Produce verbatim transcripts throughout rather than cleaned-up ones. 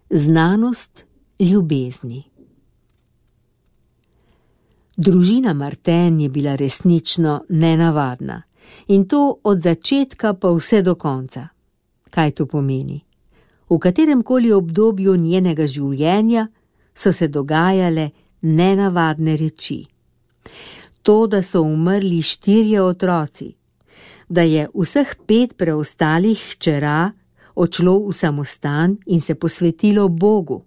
Znanost ljubezni. Družina Martin je bila resnično nenavadna, in to od začetka pa vse do konca. Kaj to pomeni? V kateremkoli obdobju njenega življenja so se dogajale nenavadne reči. To, da so umrli štirje otroci, da je vseh pet preostalih hčera odšlo v samostan in se posvetilo Bogu,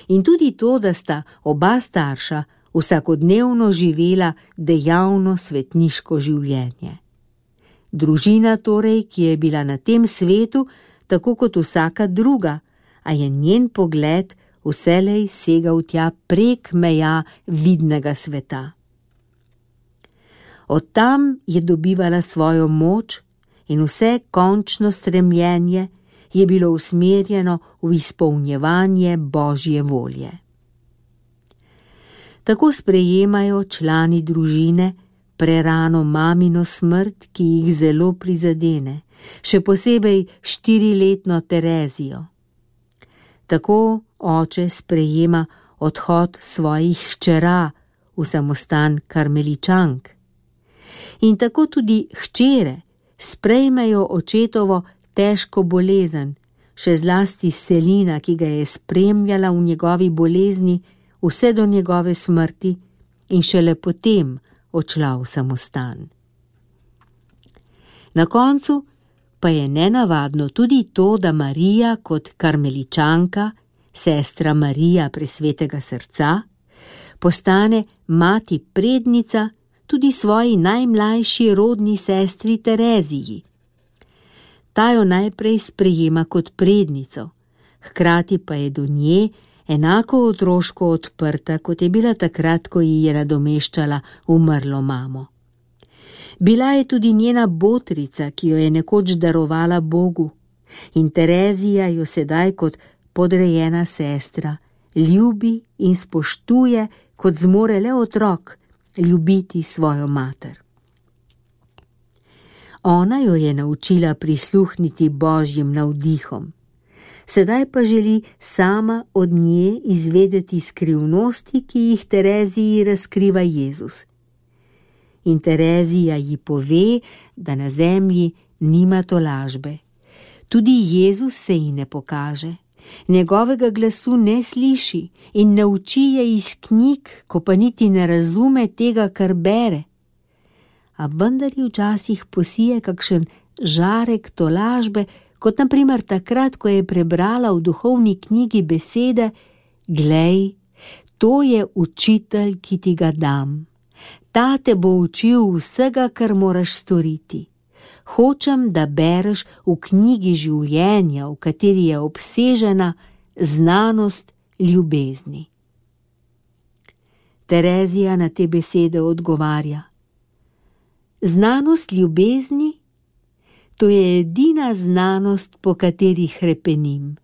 in tudi to, da sta oba starša vsakodnevno živela dejavno svetniško življenje. Družina torej, ki je bila na tem svetu tako kot vsaka druga, a je njen pogled vselej segal tja prek meja vidnega sveta. Od tam je dobivala svojo moč in vse končno stremljenje je bilo usmerjeno v izpolnjevanje Božje volje. Tako sprejemajo člani družine prerano mamino smrt, ki jih zelo prizadene, še posebej štiriletno Terezijo. Tako oče sprejema odhod svojih hčera v samostan Karmeličank. In tako tudi hčere sprejmejo očetovo težko bolezen, še zlasti Selina, ki ga je spremljala v njegovi bolezni vse do njegove smrti in šele potem odšla v samostan. Na koncu pa je nenavadno tudi to, da Marija kot Karmeličanka, sestra Marija Presvetega srca, postane mati prednica tudi svoji najmlajši rodni sestri Tereziji. Ta jo najprej sprejema kot prednico, hkrati pa je do nje enako otroško odprta, kot je bila takrat, ko ji je nadomeščala umrlo mamo. Bila je tudi njena botrica, ki jo je nekoč darovala Bogu, in Terezija jo sedaj kot podrejena sestra ljubi in spoštuje, kot zmore le otrok ljubiti svojo mater. Ona jo je naučila prisluhniti Božjim navdihom. Sedaj pa želi sama od nje izvedeti skrivnosti, ki jih Tereziji razkriva Jezus. In Terezija ji pove, da na zemlji nima tolažbe. Tudi Jezus se ji ne pokaže, njegovega glasu ne sliši in ne uči je iz knjig, ko pa niti ne razume tega, kar bere. A vendar ji včasih posije kakšen žarek tolažbe, kot na primer takrat, ko je prebrala v duhovni knjigi besede: Glej, to je učitelj, ki ti ga dam. Ta te bo učil vsega, kar moraš storiti. Hočem, da bereš v knjigi življenja, v kateri je obsežena znanost ljubezni. Terezija na te besede odgovarja: Znanost ljubezni? To je edina znanost, po kateri hrepenim.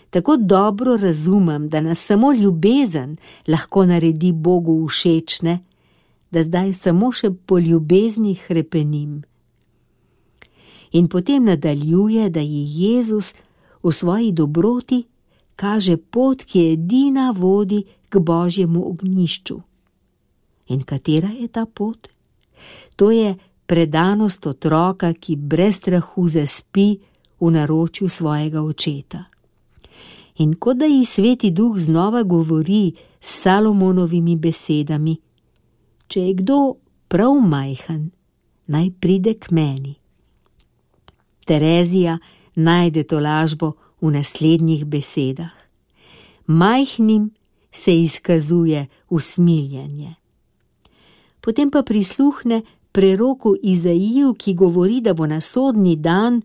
Tako dobro razumem, da nas samo ljubezen lahko naredi Bogu všečne, da zdaj samo še po ljubezni hrepenim. In potem nadaljuje, da ji Jezus v svoji dobroti kaže pot, ki edina vodi k Božjemu ognjišču. In katera je ta pot? To je predanost otroka, ki brez strahu zaspi v naročju svojega očeta. In kot da ji Sveti Duh znova govori s Salomonovimi besedami: Če je kdo prav majhen, naj pride k meni. Terezija najde tolažbo v naslednjih besedah: Majhnim se izkazuje usmiljenje. Potem pa prisluhne preroku Izaiju, ki govori, da bo na sodni dan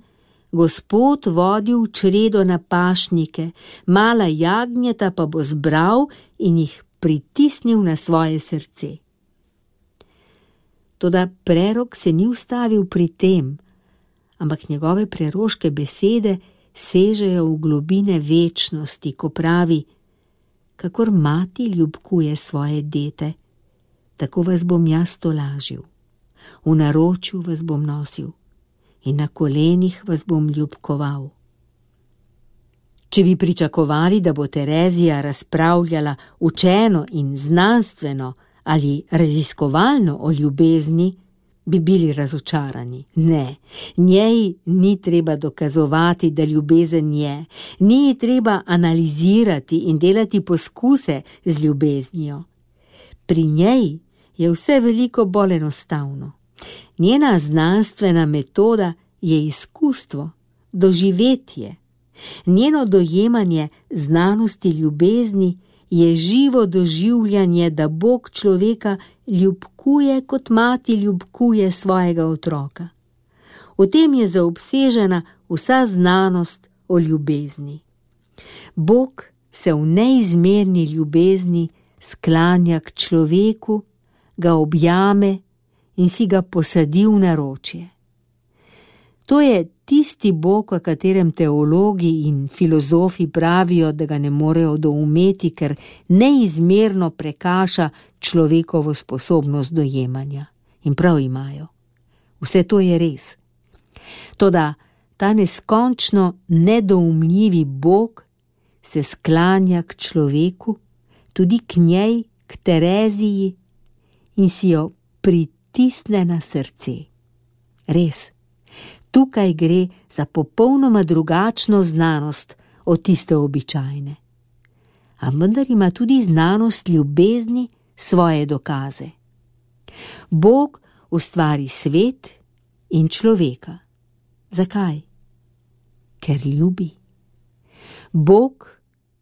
Gospod vodil čredo na pašnike, mala jagnjeta pa bo zbral in jih pritisnil na svoje srce. Toda prerok se ni ustavil pri tem, ampak njegove preroške besede sežejo v globine večnosti, ko pravi: Kakor mati ljubkuje svoje dete, tako vas bom jaz tolažil. V naročju vas bom nosil in na kolenih vas bom ljubkoval. Če bi pričakovali, da bo Terezija razpravljala učeno in znanstveno ali raziskovalno o ljubezni, bi bili razočarani. Ne, njej ni treba dokazovati, da ljubezen je, ni ji treba analizirati in delati poskuse z ljubeznijo. Pri njej je vse veliko bolj enostavno. Njena znanstvena metoda je izkustvo, doživetje. Njeno dojemanje znanosti ljubezni je živo doživljanje, da Bog človeka ljubkuje, kot mati ljubkuje svojega otroka. V tem je zaobsežena vsa znanost o ljubezni. Bog se v neizmerni ljubezni sklanja k človeku, ga objame in si ga posadi v naročje. To je tisti Bog, o katerem teologi in filozofi pravijo, da ga ne morejo doumeti, ker neizmerno prekaša človekovo sposobnost dojemanja. In prav imajo. Vse to je res. Toda ta neskončno nedoumljivi Bog se sklanja k človeku, tudi k njej, k Tereziji, in si jo pritisne na srce. Res. Tukaj gre za popolnoma drugačno znanost od tiste običajne. A vendar ima tudi znanost ljubezni svoje dokaze. Bog ustvari svet in človeka. Zakaj? Ker ljubi. Bog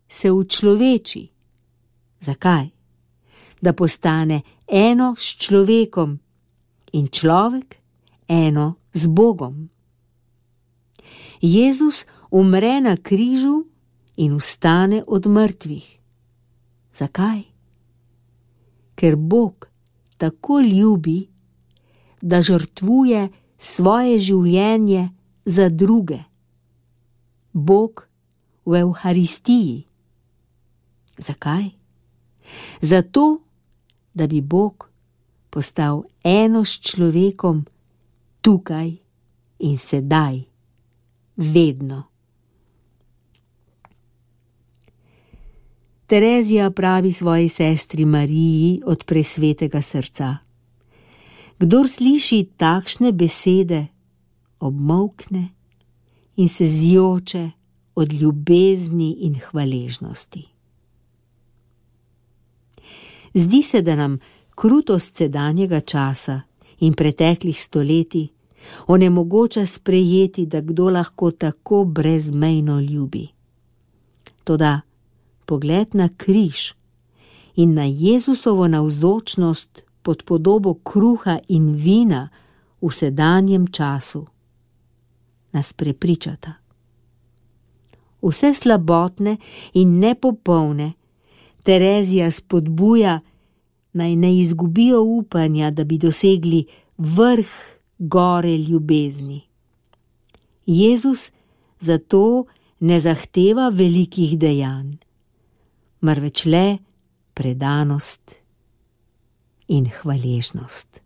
se učloveči. Zakaj? Da postane eno s človekom in človek eno z Bogom. Jezus umre na križu in vstane od mrtvih. Zakaj? Ker Bog tako ljubi, da žrtvuje svoje življenje za druge. Bog v Evharistiji. Zakaj? Zato, da bi Bog postal eno s človekom tukaj in sedaj. Vedno. Terezija pravi svoji sestri Mariji od presvetega srca: kdor sliši takšne besede, obmolkne in se zjoče od ljubezni in hvaležnosti. Zdi se, da nam krutost sedanjega časa in preteklih stoletij onemogoča sprejeti, da kdo lahko tako brezmejno ljubi. Toda pogled na križ in na Jezusovo navzočnost pod podobo kruha in vina v sedanjem času nas prepričata. Vse slabotne in nepopolne Terezija spodbuja, naj ne izgubijo upanja, da bi dosegli vrh gore ljubezni. Jezus zato ne zahteva velikih dejanj, marveč le predanost in hvaležnost.